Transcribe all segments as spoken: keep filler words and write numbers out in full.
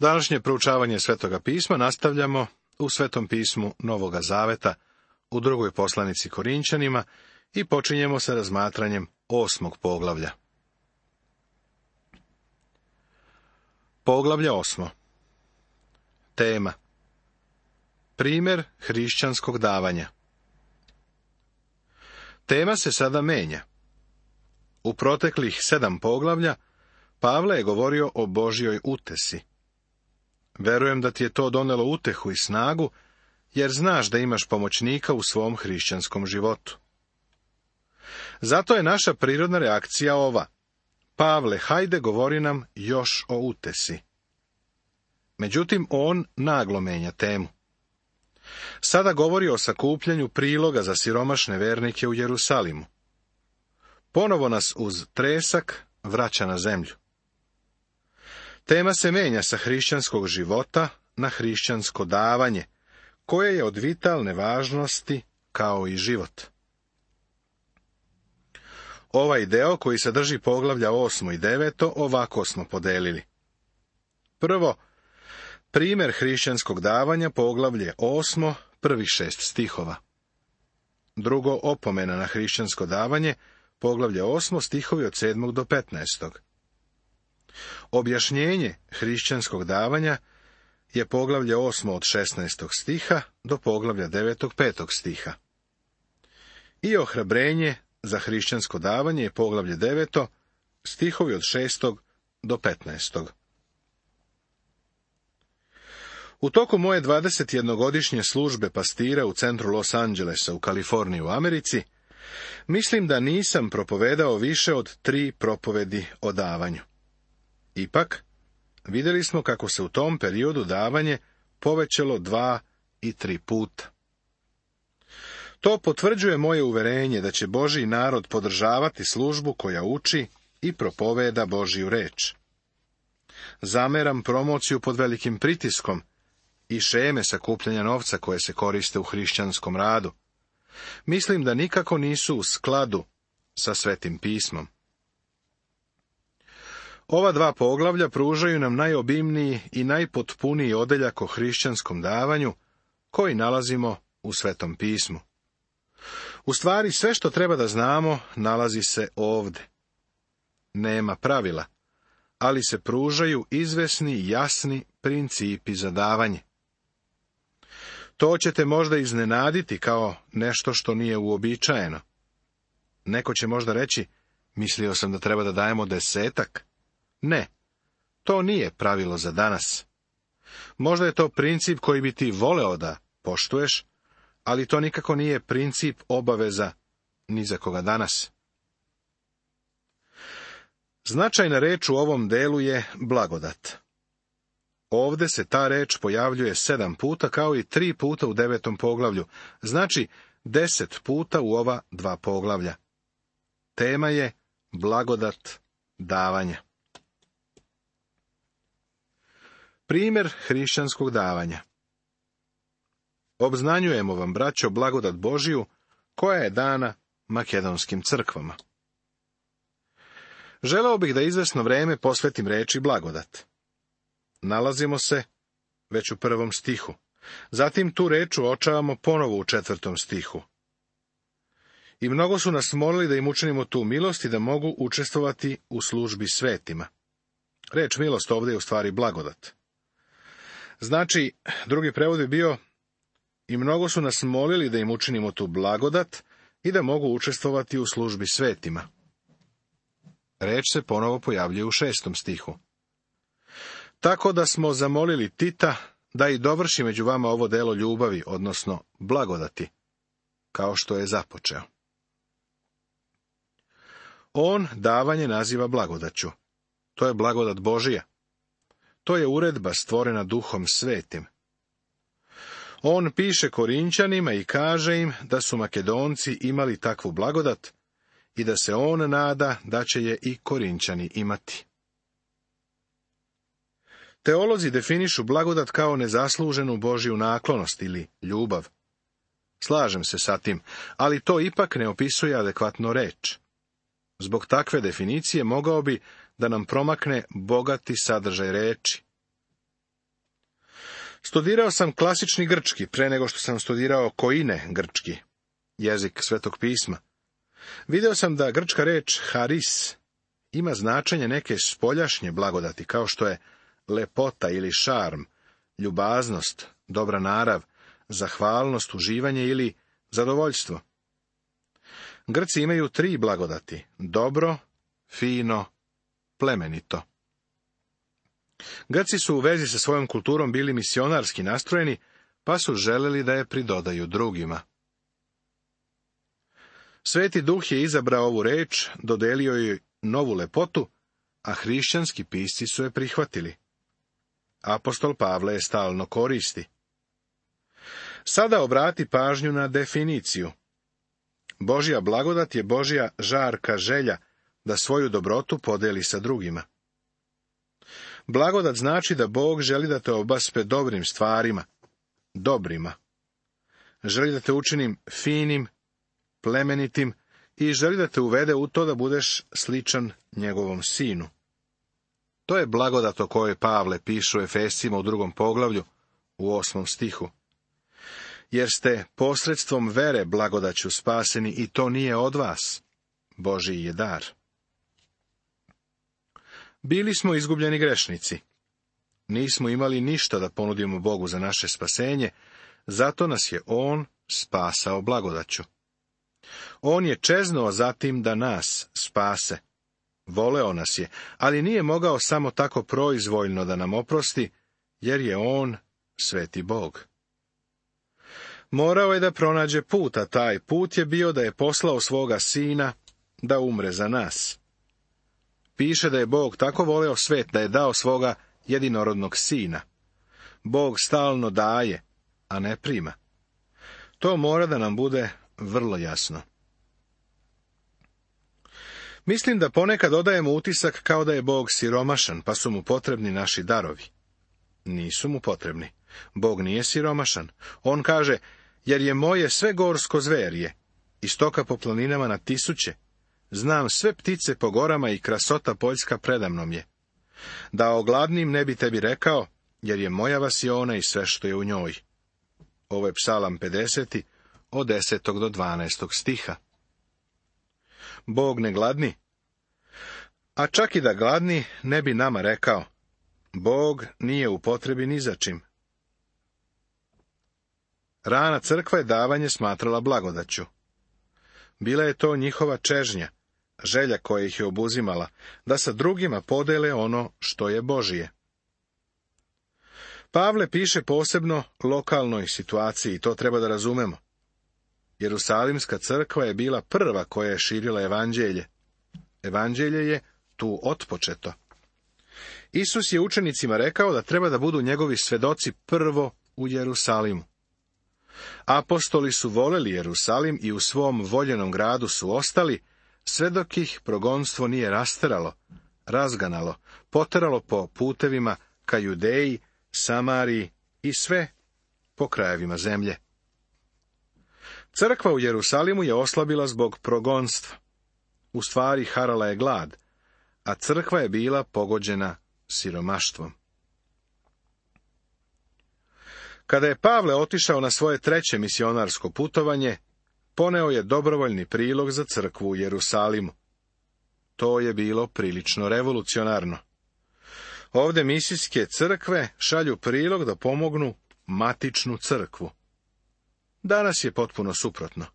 Današnje proučavanje Svetoga pisma nastavljamo u Svetom pismu Novoga Zaveta u drugoj poslanici Korinčanima i počinjemo sa razmatranjem osmog poglavlja. Poglavlje osmo. Tema: primjer hrišćanskog davanja. Tema se sada menja. U proteklih sedam poglavlja Pavle je govorio o Božjoj utesi. Verujem da ti je to donelo utehu i snagu, jer znaš da imaš pomoćnika u svom hrišćanskom životu. Zato je naša prirodna reakcija ova: Pavle, hajde, govori nam još o utesi. Međutim, on naglo menja temu. Sada govori o sakupljanju priloga za siromašne vernike u Jerusalimu. Ponovo nas uz tresak vraća na zemlju. Tema se menja sa hrišćanskog života na hrišćansko davanje, koje je od vitalne važnosti kao i život. Ovaj deo koji sadrži poglavlja osmo i deveto ovako smo podelili. Prvo, primjer hrišćanskog davanja, poglavlje osmo, prvih šest stihova. Drugo, opomena na hrišćansko davanje, poglavlje osmo, stihovi od sedmog do petnaestog. Objašnjenje hrišćanskog davanja je poglavlje osmo od šesnaestog stiha do poglavlja devetog petog stiha. I ohrabrenje za hrišćansko davanje je poglavlje deveto, stihovi od šestog do petnaestog. U toku moje dvadesetjednogodišnje službe pastira u centru Los Angelesa u Kaliforniji u Americi, mislim da nisam propovedao više od tri propovedi o davanju. Ipak, vidjeli smo kako se u tom periodu davanje povećalo dva i tri puta. To potvrđuje moje uverenje da će Božji narod podržavati službu koja uči i propoveda Božju reč. Zameram promociju pod velikim pritiskom i šeme sakupljanja novca koje se koriste u hrišćanskom radu. Mislim da nikako nisu u skladu sa Svetim pismom. Ova dva poglavlja pružaju nam najobimniji i najpotpuniji odeljak o hrišćanskom davanju koji nalazimo u Svetom pismu. U stvari, sve što treba da znamo nalazi se ovde. Nema pravila, ali se pružaju izvesni i jasni principi za davanje. To ćete možda iznenaditi kao nešto što nije uobičajeno. Neko će možda reći: mislio sam da treba da dajemo desetak. Ne, to nije pravilo za danas. Možda je to princip koji bi ti voleo da poštuješ, ali to nikako nije princip obaveza ni za koga danas. Značajna reč u ovom delu je blagodat. Ovde se ta reč pojavljuje sedam puta, kao i tri puta u devetom poglavlju, znači deset puta u ova dva poglavlja. Tema je blagodat davanja. Primjer hrišćanskog davanja. Obznanjujemo vam, braćo, blagodat Božiju, koja je dana makedonskim crkvama. Želeo bih da izvesno vreme posvetim reči blagodat. Nalazimo se već u prvom stihu. Zatim tu reč uočavamo ponovo u četvrtom stihu. I mnogo su nas molili da im učinimo tu milost i da mogu učestvovati u službi svetima. Reč milost ovdje je u stvari blagodat. Znači, drugi prevod bi bio: i mnogo su nas molili da im učinimo tu blagodat i da mogu učestvovati u službi svetima. Reč se ponovo pojavljuje u šestom stihu. Tako da smo zamolili Tita da i dovrši među vama ovo delo ljubavi, odnosno blagodati, kao što je započeo. On davanje naziva blagodaću. To je blagodat Božija. To je uredba stvorena Duhom Svetim. On piše Korinčanima i kaže im da su Makedonci imali takvu blagodat i da se on nada da će je i Korinčani imati. Teolozi definišu blagodat kao nezasluženu Božju naklonost ili ljubav. Slažem se sa tim, ali to ipak ne opisuje adekvatno reč. Zbog takve definicije mogao bi da nam promakne bogati sadržaj reči. Studirao sam klasični grčki pre nego što sam studirao koine grčki, jezik Svetog pisma. Video sam da grčka reč haris ima značenje neke spoljašnje blagodati, kao što je lepota ili šarm, ljubaznost, dobra narav, zahvalnost, uživanje ili zadovoljstvo. Grci imaju tri blagodati: dobro, fino, plemenito. Grci su u vezi sa svojom kulturom bili misionarski nastrojeni, pa su želeli da je pridodaju drugima. Sveti Duh je izabrao ovu reč, dodelio joj novu lepotu, a hrišćanski pisci su je prihvatili. Apostol Pavle je stalno koristi. Sada obrati pažnju na definiciju. Božja blagodat je Božja žarka želja da svoju dobrotu podeli sa drugima. Blagodat znači da Bog želi da te obaspe dobrim stvarima, dobrima. Želi da te učinim finim, plemenitim i želi da te uvede u to da budeš sličan njegovom sinu. To je blagodat o kojoj Pavle piše u Efescima u drugom poglavlju, u osmom stihu. Jer ste posredstvom vere blagodaću spaseni i to nije od vas, Božji je dar. Bili smo izgubljeni grešnici. Nismo imali ništa da ponudimo Bogu za naše spasenje, zato nas je On spasao blagodaću. On je čeznuo zatim da nas spase. Voleo nas je, ali nije mogao samo tako proizvoljno da nam oprosti, jer je On sveti Bog. Morao je da pronađe put, a taj put je bio da je poslao svoga sina da umre za nas. Piše da je Bog tako voleo svet da je dao svoga jedinorodnog sina. Bog stalno daje, a ne prima. To mora da nam bude vrlo jasno. Mislim da ponekad odajemo utisak kao da je Bog siromašan, pa su mu potrebni naši darovi. Nisu mu potrebni. Bog nije siromašan. On kaže, jer je moje sve gorsko zverje, i stoka po planinama na tisuće. Znam sve ptice po gorama i krasota poljska predamnom je. Da ogladnim ne bi tebi rekao, jer je moja vasiona i sve što je u njoj. Ovo je Psalam pedeset, od desetog do dvanaestog stiha. Bog ne gladni. A čak i da gladni, ne bi nama rekao. Bog nije u potrebi ni za čim. Rana crkva je davanje smatrala blagodaću. Bila je to njihova čežnja, želja koja ih je obuzimala, da sa drugima podele ono što je Božije. Pavle piše posebno lokalnoj situaciji, to treba da razumemo. Jerusalimska crkva je bila prva koja je širila evanđelje. Evanđelje je tu otpočeto. Isus je učenicima rekao da treba da budu njegovi svedoci prvo u Jerusalimu. Apostoli su voleli Jerusalim i u svom voljenom gradu su ostali, sve dok ih progonstvo nije rasteralo, razganalo, poteralo po putevima ka Judeji, Samariji i sve po krajevima zemlje. Crkva u Jerusalimu je oslabila zbog progonstva. U stvari harala je glad, a crkva je bila pogođena siromaštvom. Kada je Pavle otišao na svoje treće misionarsko putovanje, poneo je dobrovoljni prilog za crkvu u Jerusalimu. To je bilo prilično revolucionarno. Ovde misijske crkve šalju prilog da pomognu matičnu crkvu. Danas je potpuno suprotno.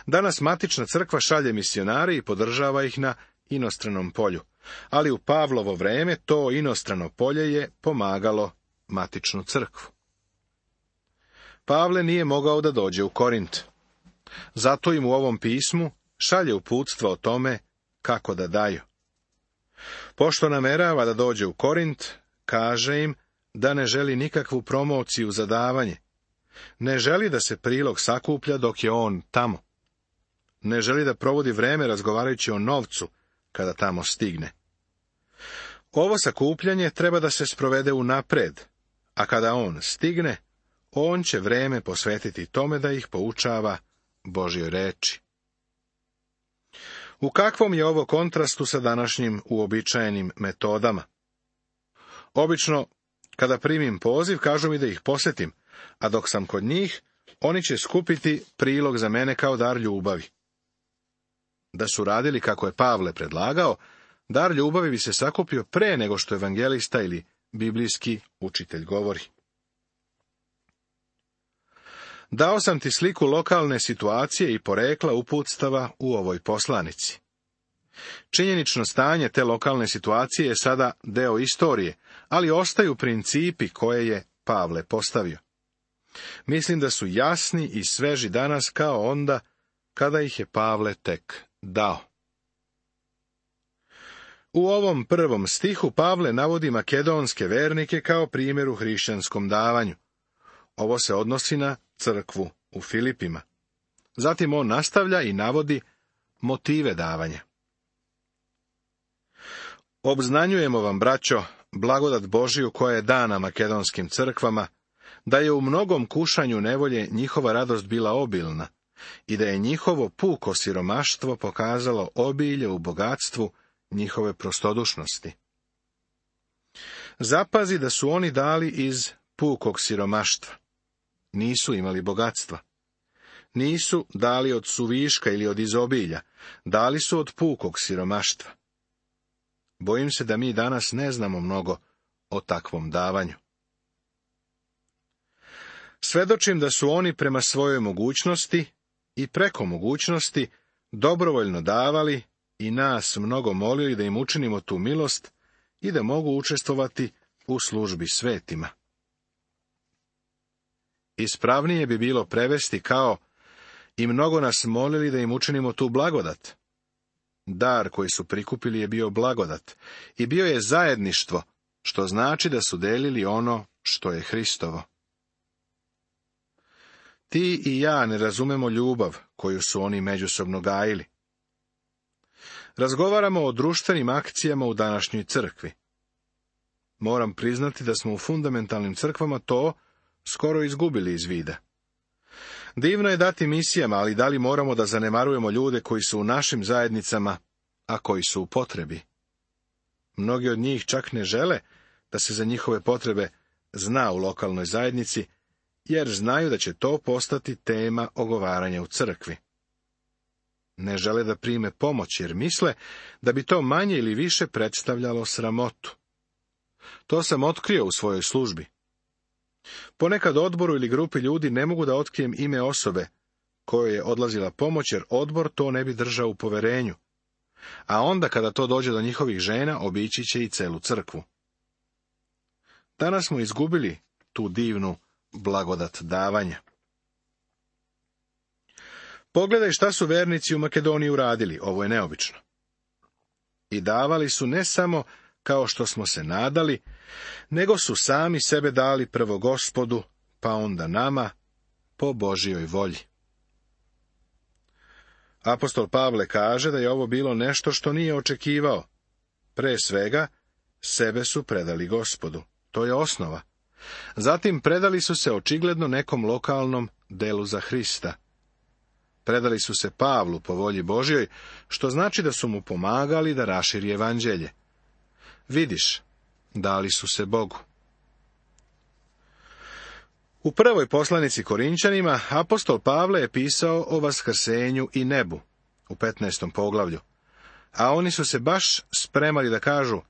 Danas matična crkva šalje misionare i podržava ih na inostranom polju, ali u Pavlovo vreme to inostrano polje je pomagalo matičnu crkvu. Pavle nije mogao da dođe u Korint. Zato im u ovom pismu šalje uputstva o tome kako da daju. Pošto namerava da dođe u Korint, kaže im da ne želi nikakvu promociju za davanje. Ne želi da se prilog sakuplja dok je on tamo. Ne želi da provodi vreme razgovarajući o novcu kada tamo stigne. Ovo sakupljanje treba da se sprovede unapred, a kada on stigne, on će vreme posvetiti tome da ih poučava Božjoj reči. U kakvom je ovo kontrastu sa današnjim uobičajenim metodama? Obično Kada primim poziv, kažu mi da ih posjetim, a dok sam kod njih, oni će skupiti prilog za mene kao dar ljubavi. Da su radili kako je Pavle predlagao, dar ljubavi bi se sakupio pre nego što evangelista ili biblijski učitelj govori. Dao sam ti sliku lokalne situacije i porekla uputstava u ovoj poslanici. Činjenično stanje te lokalne situacije je sada deo istorije, ali ostaju principi koje je Pavle postavio. Mislim da su jasni i sveži danas kao onda kada ih je Pavle tek dao. U ovom prvom stihu Pavle navodi makedonske vernike kao primjer u hrišćanskom davanju. Ovo se odnosi na crkvu u Filipima. Zatim on nastavlja i navodi motive davanja. Obznanjujemo vam, braćo, blagodat Božiju koja je dana makedonskim crkvama, da je u mnogom kušanju nevolje njihova radost bila obilna i da je njihovo puko siromaštvo pokazalo obilje u bogatstvu njihove prostodušnosti. Zapazi da su oni dali iz pukog siromaštva. Nisu imali bogatstva. Nisu dali od suviška ili od izobilja, dali su od pukog siromaštva. Bojim se da mi danas ne znamo mnogo o takvom davanju. Svedočim da su oni prema svojoj mogućnosti i preko mogućnosti dobrovoljno davali i nas mnogo molili da im učinimo tu milost i da mogu učestvovati u službi svetima. Ispravnije bi bilo prevesti kao i mnogo nas molili da im učinimo tu blagodat. Dar koji su prikupili je bio blagodat i bio je zajedništvo, što znači da su delili ono što je Hristovo. Ti i ja ne razumemo ljubav koju su oni međusobno gajili. Razgovaramo o društvenim akcijama u današnjoj crkvi. Moram priznati da smo u fundamentalnim crkvama to skoro izgubili iz vida. Divno je dati misijama, ali da li moramo da zanemarujemo ljude koji su u našim zajednicama, a koji su u potrebi? Mnogi od njih čak ne žele da se za njihove potrebe zna u lokalnoj zajednici, jer znaju da će to postati tema ogovaranja u crkvi. Ne žele da prime pomoć, jer misle da bi to manje ili više predstavljalo sramotu. To sam otkrio u svojoj službi. Ponekad odboru ili grupi ljudi ne mogu da otkrijem ime osobe kojoj je odlazila pomoć, jer odbor to ne bi držao u poverenju. A onda kada to dođe do njihovih žena, obići će i celu crkvu. Danas smo izgubili tu divnu blagodat davanja. Pogledaj šta su vernici u Makedoniji uradili, ovo je neobično. I davali su ne samo kao što smo se nadali, nego su sami sebe dali prvo Gospodu, pa onda nama, po Božjoj volji. Apostol Pavle kaže da je ovo bilo nešto što nije očekivao. Pre svega, sebe su predali Gospodu. To je osnova. Zatim predali su se očigledno nekom lokalnom delu za Hrista. Predali su se Pavlu po volji Božjoj, što znači da su mu pomagali da raširi evanđelje. Vidiš, dali su se Bogu. U prvoj poslanici Korinčanima apostol Pavle je pisao o vaskrsenju i nebu, u petnaestom poglavlju, a oni su se baš spremali da kažu: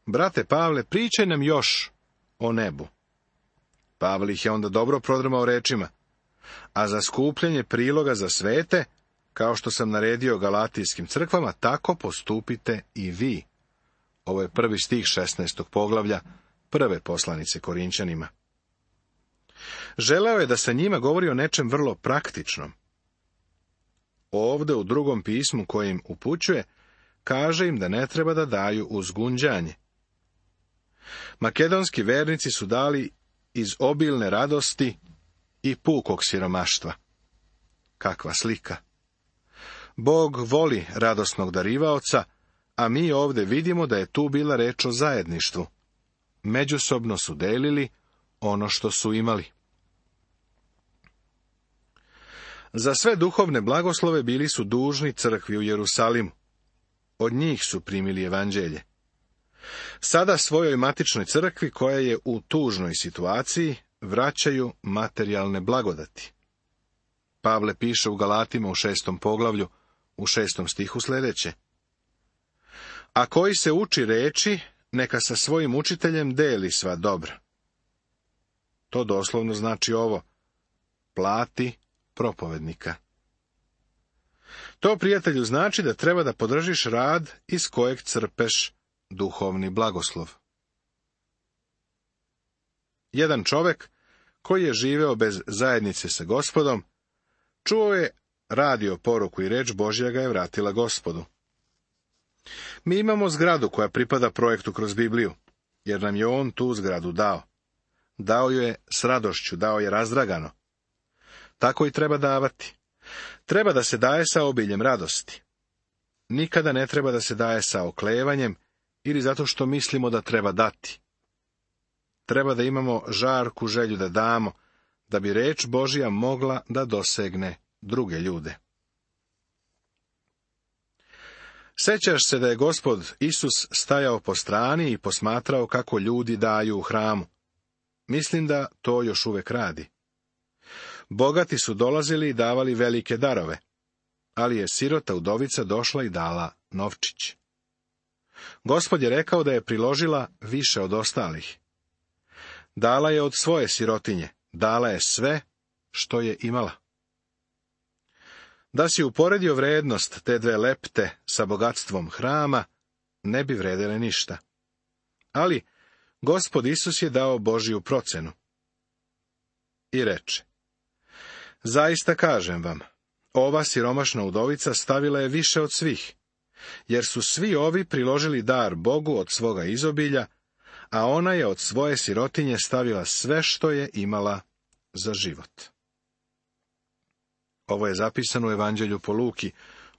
brate Pavle, pričaj nam još o nebu. Pavle ih je onda dobro prodrmao rečima: a za skupljanje priloga za svete, kao što sam naredio galatijskim crkvama, tako postupite i vi. Ovo je prvi stih šesnaestog poglavlja prve poslanice Korinčanima. Želeo je da se njima govori o nečem vrlo praktičnom. Ovde u drugom pismu kojim upućuje, kaže im da ne treba da daju uz gunđanje. Makedonski vernici su dali iz obilne radosti i pukog siromaštva. Kakva slika! Bog voli radosnog darivaoca, a mi ovde vidimo da je tu bila reč o zajedništvu. Međusobno su delili ono što su imali. Za sve duhovne blagoslove bili su dužni crkvi u Jerusalimu. Od njih su primili evanđelje. Sada svojoj matičnoj crkvi, koja je u tužnoj situaciji, vraćaju materijalne blagodati. Pavle piše u Galatima u šestom poglavlju, u šestom stihu sljedeće. A koji se uči reči, neka sa svojim učiteljem deli sva dobra. To doslovno znači ovo: plati propovednika. To, prijatelju, znači da treba da podržiš rad iz kojeg crpeš duhovni blagoslov. Jedan čovjek koji je živeo bez zajednice sa Gospodom, čuo je radio poruku i reč Božja ga je vratila Gospodu. Mi imamo zgradu koja pripada projektu Kroz Bibliju, jer nam je on tu zgradu dao. Dao ju je s radošću, dao je razdragano. Tako i treba davati. Treba da se daje sa obiljem radosti. Nikada ne treba da se daje sa oklevanjem ili zato što mislimo da treba dati. Treba da imamo žarku želju da damo, da bi reč Božja mogla da dosegne druge ljude. Sjećaš se da je Gospod Isus stajao po strani i posmatrao kako ljudi daju u hramu. Mislim da to još uvek radi. Bogati su dolazili i davali velike darove, ali je sirota udovica došla i dala novčić. Gospod je rekao da je priložila više od ostalih. Dala je od svoje sirotinje, dala je sve što je imala. Da si uporedio vrednost te dve lepte sa bogatstvom hrama, ne bi vredele ništa. Ali Gospod Isus je dao Božju procenu. I reče: zaista kažem vam, ova siromašna udovica stavila je više od svih, jer su svi ovi priložili dar Bogu od svoga izobilja, a ona je od svoje sirotinje stavila sve što je imala za život. Ovo je zapisano u Evanđelju po Luki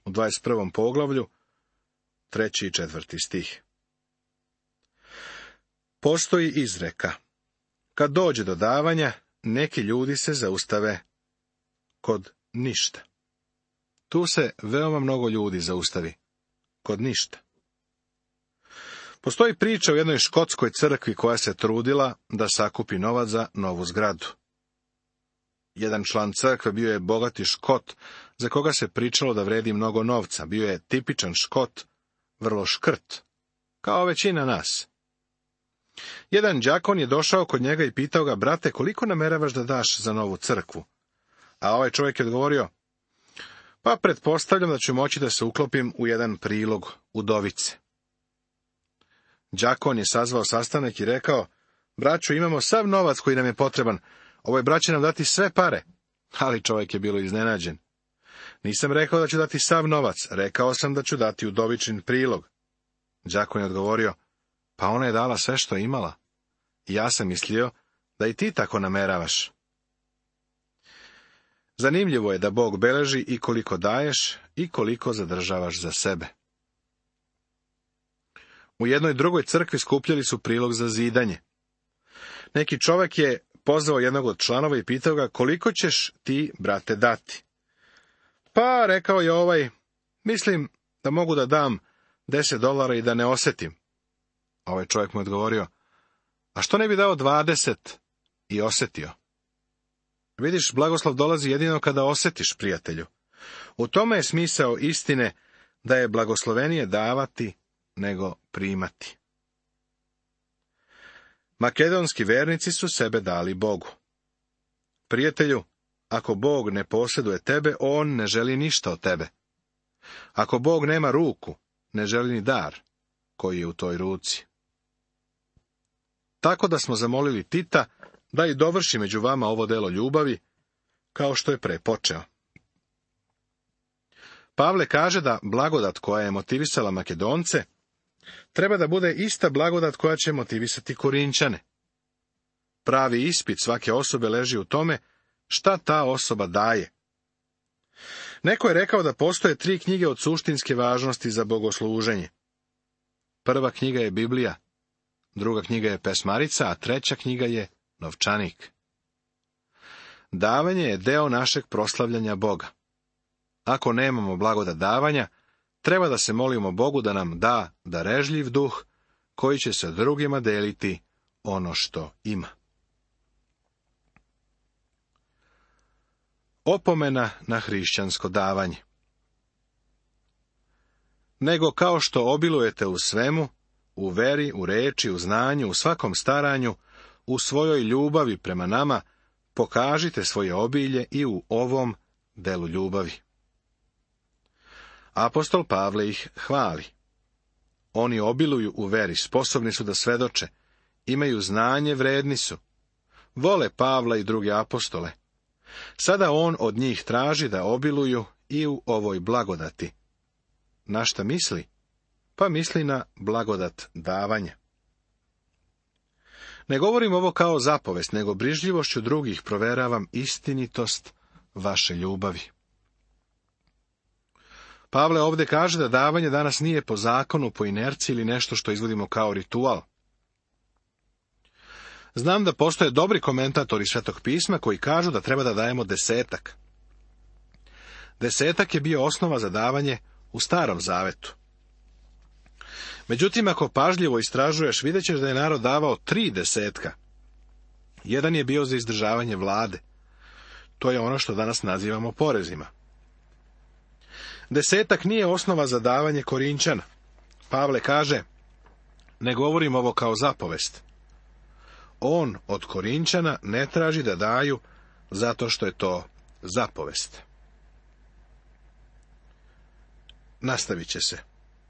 u dvadeset prvom poglavlju, treći i četvrti stih. Postoji izreka: kad dođe do davanja, neki ljudi se zaustave kod ništa. Tu se veoma mnogo ljudi zaustavi kod ništa. Postoji priča o jednoj škotskoj crkvi koja se trudila da sakupi novac za novu zgradu. Jedan član crkve bio je bogati Škot, za koga se pričalo da vredi mnogo novca. Bio je tipičan Škot, vrlo škrt, kao većina nas. Jedan đakon je došao kod njega i pitao ga: brate, koliko nameravaš da daš za novu crkvu? A ovaj čovjek je odgovorio: pa pretpostavljam da ću moći da se uklopim u jedan prilog udovice. Đakon je sazvao sastanak i rekao: braćo, imamo sav novac koji nam je potreban, ovaj brat će nam dati sve pare. Ali čovjek je bilo iznenađen. Nisam rekao da ću dati sav novac, rekao sam da ću dati udovičin prilog. Đakon je odgovorio: pa ona je dala sve što je imala. I ja sam mislio da i ti tako nameravaš. Zanimljivo je da Bog beleži i koliko daješ i koliko zadržavaš za sebe. U jednoj drugoj crkvi skupljali su prilog za zidanje. Neki čovjek je pozvao jednog od članova i pitao ga: koliko ćeš ti, brate, dati? Pa, rekao je ovaj, mislim da mogu da dam deset dolara i da ne osjetim. Ovaj čovjek mu je odgovorio: a što ne bi dao dvadeset i osjetio? Vidiš, blagoslov dolazi jedino kada osjetiš, prijatelju. U tome je smisao istine, da je blagoslovenije davati nego primati. Makedonski vernici su sebe dali Bogu. Prijatelju, ako Bog ne posjeduje tebe, on ne želi ništa od tebe. Ako Bog nema ruku, ne želi ni dar koji je u toj ruci. Tako da smo zamolili Tita da i dovrši među vama ovo delo ljubavi, kao što je prepočeo. Pavle kaže da blagodat koja je motivisala Makedonce treba da bude ista blagodat koja će motivisati Korinćane. Pravi ispit svake osobe leži u tome šta ta osoba daje. Neko je rekao da postoje tri knjige od suštinske važnosti za bogosluženje. Prva knjiga je Biblija, druga knjiga je Pesmarica, a treća knjiga je Novčanik. Davanje je deo našeg proslavljanja Boga. Ako nemamo blagodat davanja, treba da se molimo Bogu da nam da darežljiv duh, koji će sa drugima deliti ono što ima. Opomena na hrišćansko davanje. Nego kao što obilujete u svemu, u veri, u reči, u znanju, u svakom staranju, u svojoj ljubavi prema nama, pokažite svoje obilje i u ovom delu ljubavi. Apostol Pavle ih hvali. Oni obiluju u veri, sposobni su da svedoče, imaju znanje, vredni su. Vole Pavla i druge apostole. Sada on od njih traži da obiluju i u ovoj blagodati. Na šta misli? Pa misli na blagodat davanja. Ne govorim ovo kao zapovest, nego brižljivošću drugih proveravam istinitost vaše ljubavi. Pavle ovdje kaže da davanje danas nije po zakonu, po inerciji ili nešto što izvodimo kao ritual. Znam da postoje dobri komentatori Svetog pisma koji kažu da treba da dajemo desetak. Desetak je bio osnova za davanje u Starom zavetu. Međutim, ako pažljivo istražuješ, vidjet ćeš da je narod davao tri desetka. Jedan je bio za izdržavanje vlade. To je ono što danas nazivamo porezima. Desetak nije osnova za davanje Korinčana. Pavle kaže, ne govorim ovo kao zapovest. On od Korinčana ne traži da daju zato što je to zapovest. Nastavit će se.